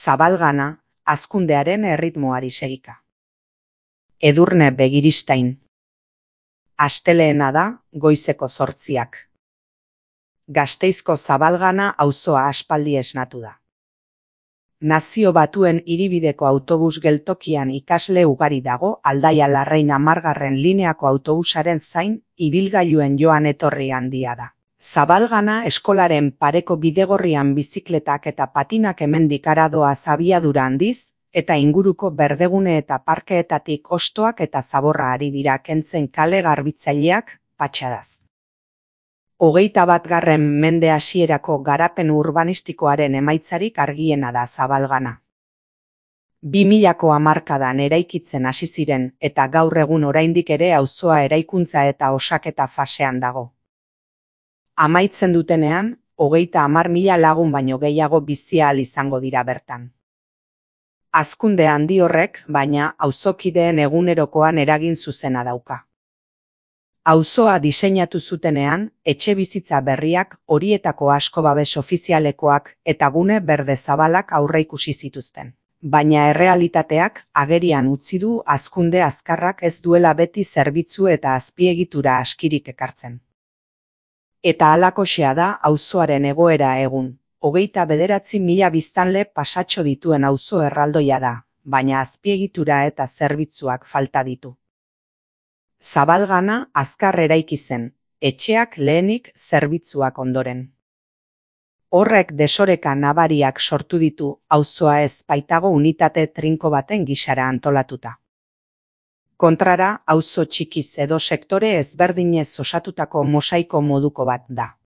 Zabalgana, hazkundearen erritmoari segika. Edurne Begiristain. Asteleena da, goizeko 8:00. Gasteizko Zabalgana auzoa aspaldi esnatu da. Nazio Batuen hiribideko autobus geltokian ikasle ugari dago Aldaia Larrein 10. lineako autobusaren zain, ibilgailuen joan etorri handia da. Zabalgana eskolaren pareko bidegorrian bizikletak eta patinak hemendik aradoaz abiadura handiz, eta inguruko berdegune eta parkeetatik hostoak eta zaborra ari dira kentzen kale garbitzaileak, patxadaz. 21. mende hasierako garapen urbanistikoaren emaitzarik argiena da Zabalgana. 2000ko hamarkadan eraikitzen hasi ziren eta gaur egun oraindik ere auzoa eraikuntza eta osaketa fasean dago. Amaitzen dutenean, 30.000 lagun baino gehiago bizi ahal izango dira bertan. Hazkunde handi horrek, baina, auzokideen egunerokoan eragin zuzena dauka. Auzoa diseinatu zutenean, etxebizitza berriak, horietako asko babes ofizialekoak eta gune berde zabalak aurreikusi zituzten. Baina errealitateak agerian utzi du hazkunde azkarrak ez duela beti zerbitzu eta azpiegitura askirik ekartzen. Eta halakoxea da auzoaren egoera egun. 29.000 biztanle pasatxo dituen auzo erraldoia da, baina azpiegitura eta zerbitzuak falta ditu. Zabalgana azkar eraiki zen, etxeak lehenik, zerbitzuak ondoren. Horrek desoreka nabariak sortu ditu, auzoa ez baitago unitate trinko baten gisara antolatuta. Kontrara, auzo txikiz edo sektore ezberdinez osatutako mosaiko moduko bat da.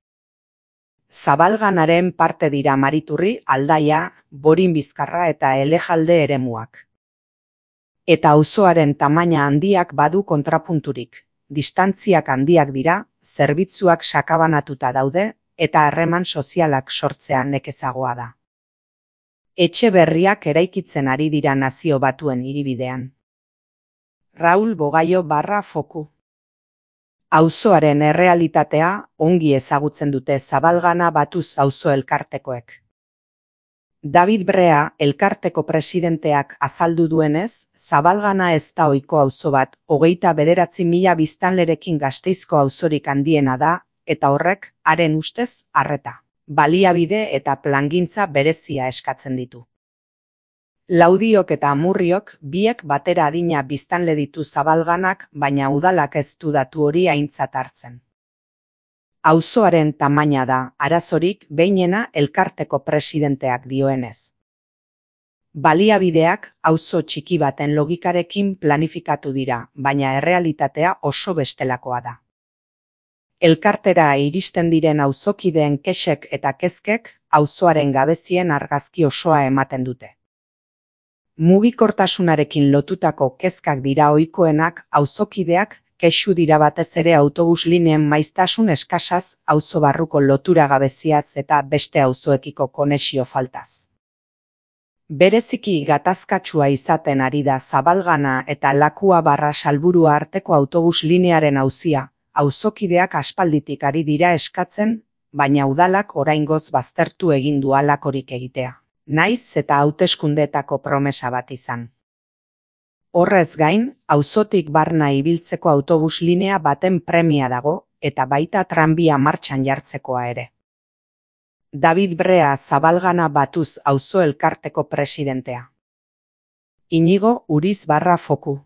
Zabalganaren parte dira Mariturri, Aldaia, Borin Bizkarra eta Elejalde eremuak. Eta auzoaren tamaina handiak badu kontrapunturik. Distantziak handiak dira, zerbitzuak sakabanatuta daude, eta harreman sozialak sortzea nekezagoa da. Etxe berriak eraikitzen ari dira Nazio Batuen hiribidean. Raul Bogaio /Foku. Auzoaren errealitatea ongi ezagutzen dute Zabalgana Batuz auzo elkartekoek. David Brea, elkarteko presidenteak azaldu duenez, Zabalgana ez da ohiko auzo bat, 29.000 biztanlerekin Gasteizko auzorik handiena da, eta horrek, haren ustez, arreta, baliabide eta plangintza berezia eskatzen ditu. Laudiok eta Amurriok biek batera adina biztanle ditu Zabalganak, baina udalak ez du datu hori aintzat hartzen. Auzoaren tamaina da, arazorik behinena elkarteko presidenteak dioenez. Baliabideak auzo txiki baten logikarekin planifikatu dira, baina errealitatea oso bestelakoa da. Elkartera iristen diren auzokideen kexek eta kezkek auzoaren gabezien argazki osoa ematen dute. Mugikortasunarekin lotutako kezkak dira ohikoenak, auzokideak kexu dira batez ere autobus lineen maiztasun eskasaz, auzo barruko lotura gabeziaz eta beste auzoekiko konexio faltaz. Bereziki gatazkatsua izaten ari da Zabalgana eta Lakua /Salburua arteko autobus linearen auzia, auzokideak aspalditik ari dira eskatzen, baina udalak oraingoz baztertu egin du halakorik egitea. Naiz eta hauteskundeetako promesa bat izan. Horrez gain, auzotik barna ibiltzeko autobus linea baten premia dago, eta baita tranbia martxan jartzekoa ere. David Brea Zabalgana Batuz auzo elkarteko presidentea. Inigo Uriz /Foku.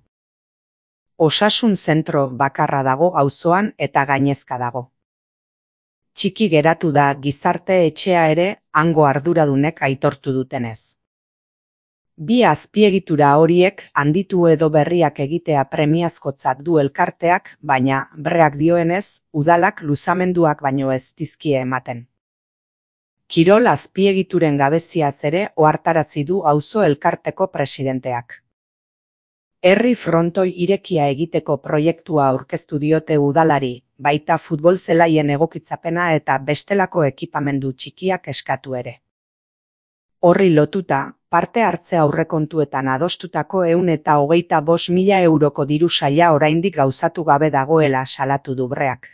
Osasun zentro bakarra dago auzoan eta gainezka dago. Txiki geratu da gizarte etxea ere, hango arduradunek aitortu dutenez. Bi azpiegitura horiek handitu edo berriak egitea premiazkotzat du elkarteak, baina, Break dioenez, udalak luzamenduak baino ez dizkie ematen. Kirol azpiegituren gabeziaz ere ohartarazi du auzo elkarteko presidenteak. Herri frontoi irekia egiteko proiektua aurkeztu diote udalari, baita futbol zelaien egokitzapena eta bestelako ekipamendu txikiak eskatu ere. Horri lotuta, parte hartze aurrekontuetan adostutako 125.000 euroko diru saila oraindik gauzatu gabe dagoela salatu du Break.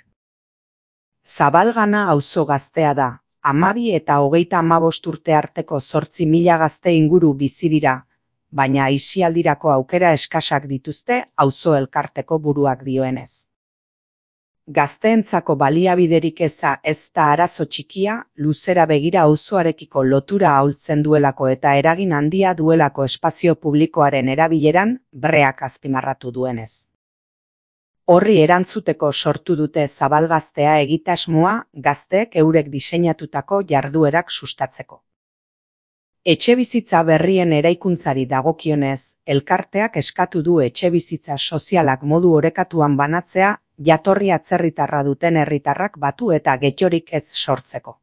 Zabalgana auzo gaztea da, 12 eta 35 urte arteko 8.000 gazte inguru bizi dira, baina aisialdirako aukera eskasak dituzte auzo elkarteko buruak dioenez. Gazteentzako baliabiderik eza ez da arazo txikia, luzera begira auzoarekiko lotura ahultzen duelako eta eragin handia duelako espazio publikoaren erabileran, break azpimarratu duenez. Horri erantzuteko sortu dute Zabalgaztea egitasmoa gazteek eurek diseinatutako jarduerak sustatzeko. Etxebizitza berrien eraikuntzari dagokionez, elkarteak eskatu du etxebizitza sozialak modu orekatuan banatzea, jatorri atzerritarra duten herritarrak batu eta getxorik ez sortzeko.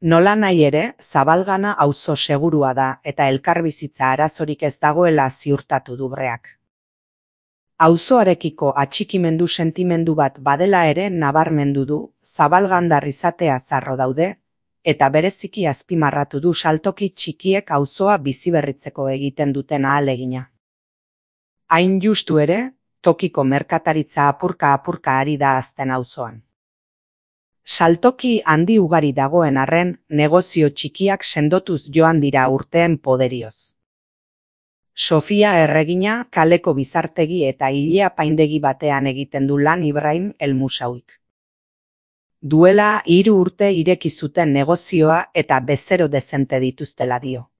Nolanahi ere, Zabalgana auzo segurua da eta elkarbizitza arazorik ez dagoela ziurtatu du break. Auzoarekiko atxikimendu sentimendu bat badela ere nabarmendu du, zabalgandar izatea zarro daude, eta bereziki azpimarratu du saltoki txikiek auzoa biziberritzeko egiten duten ahalegina. Hain justu ere, tokiko merkataritza apurka ari da hazten auzoan. Saltoki handi ugari dagoen arren, negozio txikiak sendotuz joan dira urteen poderioz. Sofia Erregina kaleko bizartegi eta hilea paindegi batean egiten du lan Ibrahim Elmusauik. Duela 3 urte ireki zuten negozioa eta bezero dezente dituztela dio.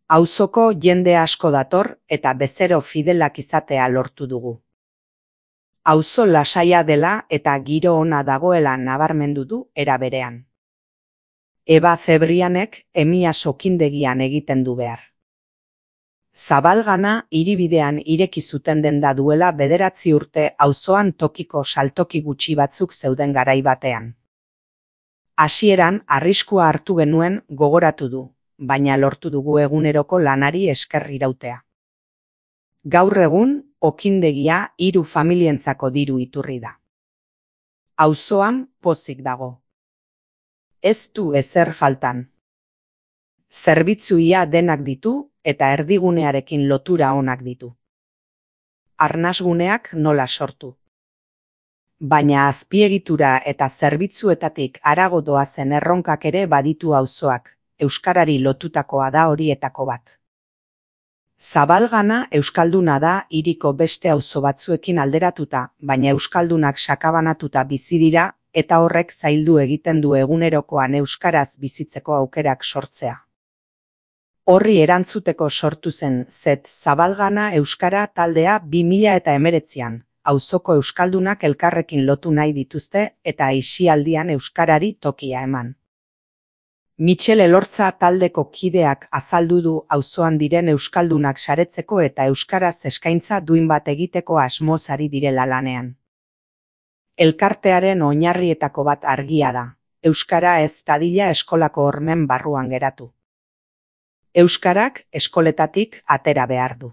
Auzoko jende asko dator eta bezero fidelak izatea lortu dugu. Auzo lasaia dela eta giro ona dagoela nabarmendu du era berean. Eba Zebrianek Emia sokindegian egiten du behar. Zabalgana hiribidean ireki zuten denda duela 9 urte auzoan tokiko saltoki gutxi batzuk zeuden garai batean. Hasieran arriskua hartu genuen gogoratu du, baina lortu dugu eguneroko lanari esker irautea. Gaur egun, okindegia 3 familientzako diru iturri da. Auzoan pozik dago. Ez du ezer faltan. Zerbitzuia denak ditu eta erdigunearekin lotura onak ditu. Arnasguneak nola sortu. Baina azpiegitura eta zerbitzuetatik harago doazen erronkak ere baditu auzoak, euskarari lotutakoa da horietako bat. Zabalgana euskalduna da hiriko beste auzo batzuekin alderatuta, baina euskaldunak sakabanatuta bizi dira eta horrek zaildu egiten du egunerokoan euskaraz bizitzeko aukerak sortzea. Horri erantzuteko sortu zen Zabalgana euskara taldea 2019an, auzoko euskaldunak elkarrekin lotu nahi dituzte eta aisialdian euskarari tokia eman. Michel Elortza taldeko kideak azaldu du auzoan diren euskaldunak saretzeko eta euskaraz eskaintza duin bat egiteko asmoz ari direla lanean. Elkartearen oinarrietako bat argia da, euskara ez dadila eskolako hormen barruan geratu. Euskarak eskoletatik atera behar du.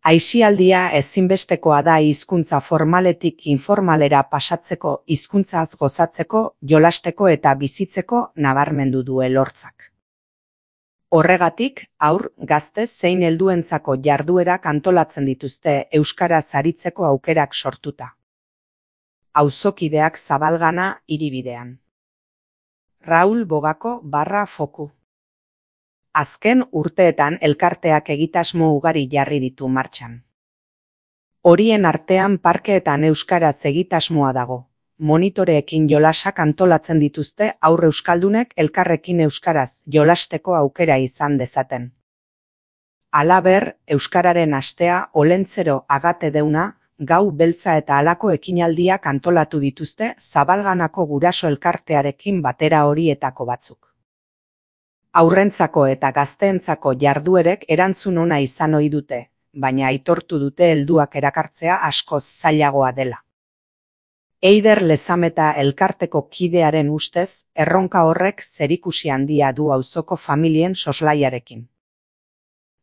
Aisialdia ezinbestekoa da hizkuntza formaletik informalera pasatzeko, hizkuntzaz gozatzeko, jolasteko eta bizitzeko nabarmendu du Elortzak. Horregatik, haur, gazte zein helduentzako jarduerak antolatzen dituzte euskaraz aritzeko aukerak sortuta. Auzokideak Zabalgana hiribidean. Raul Bogako /foku. Azken urteetan elkarteak egitasmo ugari jarri ditu martxan. Horien artean parkeetan euskaraz egitasmoa dago. Monitoreekin jolasak antolatzen dituzte haur euskaldunek elkarrekin euskaraz jolasteko aukera izan dezaten. Halaber, euskararen astea Olentzero Agate Deuna, Gau Beltza eta halako ekinaldiak antolatu dituzte Zabalganako guraso elkartearekin batera horietako batzuk. Aurrentzako eta gazteentzako jarduerek erantzun ona izan ohi dute, baina aitortu dute helduak erakartzea askoz zailagoa dela. Eider Lezameta elkarteko kidearen ustez, erronka horrek zerikusi handia du auzoko familien soslaiarekin.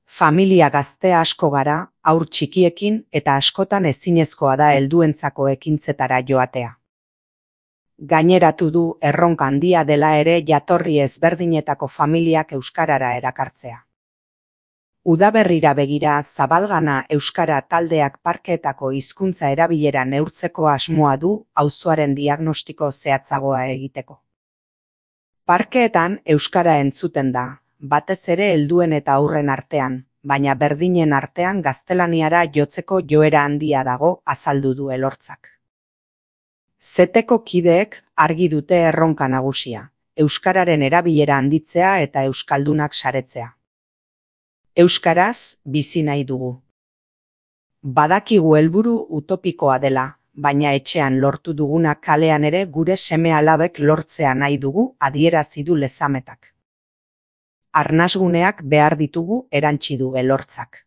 Familia gazte asko gara, haur txikiekin eta askotan ezinezkoa da helduentzako ekintzetara joatea. Gaineratu du erronka handia dela ere jatorri ezberdinetako familiak euskarara erakartzea. Udaberrira begira Zabalgana euskara taldeak parkeetako hizkuntza erabilera neurtzeko asmoa du auzoaren diagnostiko zehatzagoa egiteko. Parkeetan euskara entzuten da, batez ere helduen eta haurren artean, baina berdinen artean gaztelaniara jotzeko joera handia dago, azaldu du Elortzak. Zeteko kideek argi dute erronka nagusia, euskararen erabilera handitzea eta euskaldunak saretzea. Euskaraz bizi nahi dugu. Badakigu helburu utopikoa dela, baina etxean lortu duguna kalean ere gure seme-alabek lortzea nahi dugu, adierazi du Lezametak. Arnasguneak behar ditugu, erantsi du Elortzak.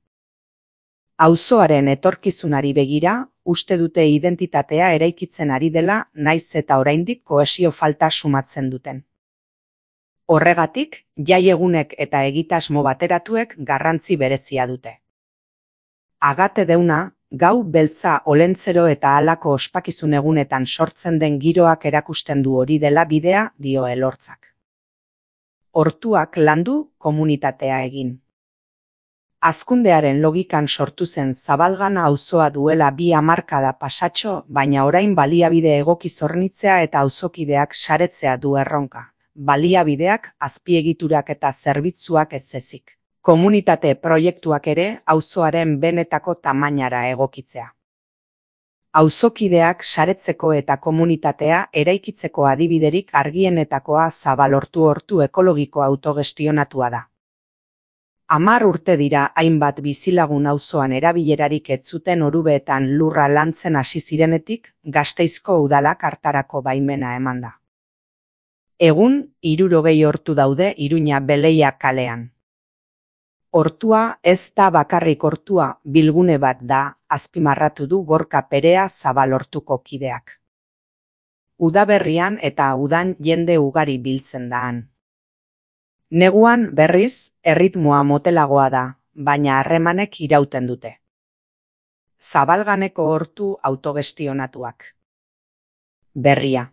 Auzoaren etorkizunari begira, uste dute identitatea eraikitzen ari dela, naiz eta oraindik kohesio falta sumatzen duten. Horregatik, jaiegunek eta egitasmo bateratuek garrantzi berezia dute. Agate deuna, gau beltza olentzero eta halako ospakizun egunetan sortzen den giroak erakusten du hori dela bidea, dio Elortzak. Hortuak landu, komunitatea egin. Hazkundearen logikan sortu zen Zabalgana auzoa duela 2 hamarkada pasatxo, baina orain baliabide egoki hornitzea eta auzokideak saretzea du erronka. Baliabideak, azpiegiturak eta zerbitzuak ez ezik. Komunitate proiektuak ere auzoaren benetako tamainara egokitzea. Auzokideak saretzeko eta komunitatea eraikitzeko adibiderik argienetakoa Zabalortu hortu ekologiko autogestionatua da. 10 urte dira hainbat bizilagun auzoan erabilerarik ez zuten Orubeetan lurra lantzen hasi zirenetik, Gasteizko udalak hartarako baimena emanda. Egun, 60 hortu daude Iruña Beleia kalean. Hortua ez da bakarrik hortua, bilgune bat da, azpimarratu du Gorka Perea Zabalortuko kideak. Udaberrian eta udan jende ugari biltzen da han. Neguan, berriz, erritmoa motelagoa da, baina harremanek irauten dute. Zabalganeko hortu autogestionatuak. Berria.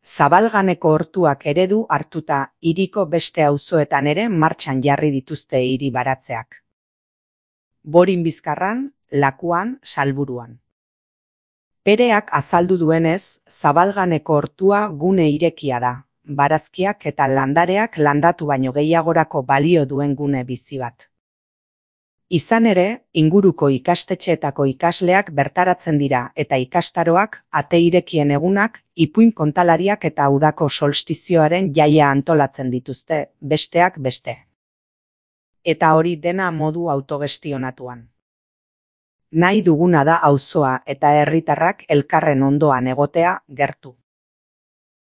Zabalganeko hortuak eredu hartuta hiriko beste auzoetan ere martxan jarri dituzte hiri baratzeak. Borin Bizkarran, Lakuan, Salburuan. Pereak azaldu duenez, Zabalganeko hortua gune irekia da, barazkiak eta landareak landatu baino gehiagorako balio duen gune bizi bat. Izan ere, inguruko ikastetxeetako ikasleak bertaratzen dira eta ikastaroak, ate irekien egunak, ipuin kontalariak eta udako solstizioaren jaia antolatzen dituzte, besteak beste. Eta hori dena modu autogestionatuan. Nahi duguna da auzoa eta herritarrak elkarren ondoan egotea, gertu.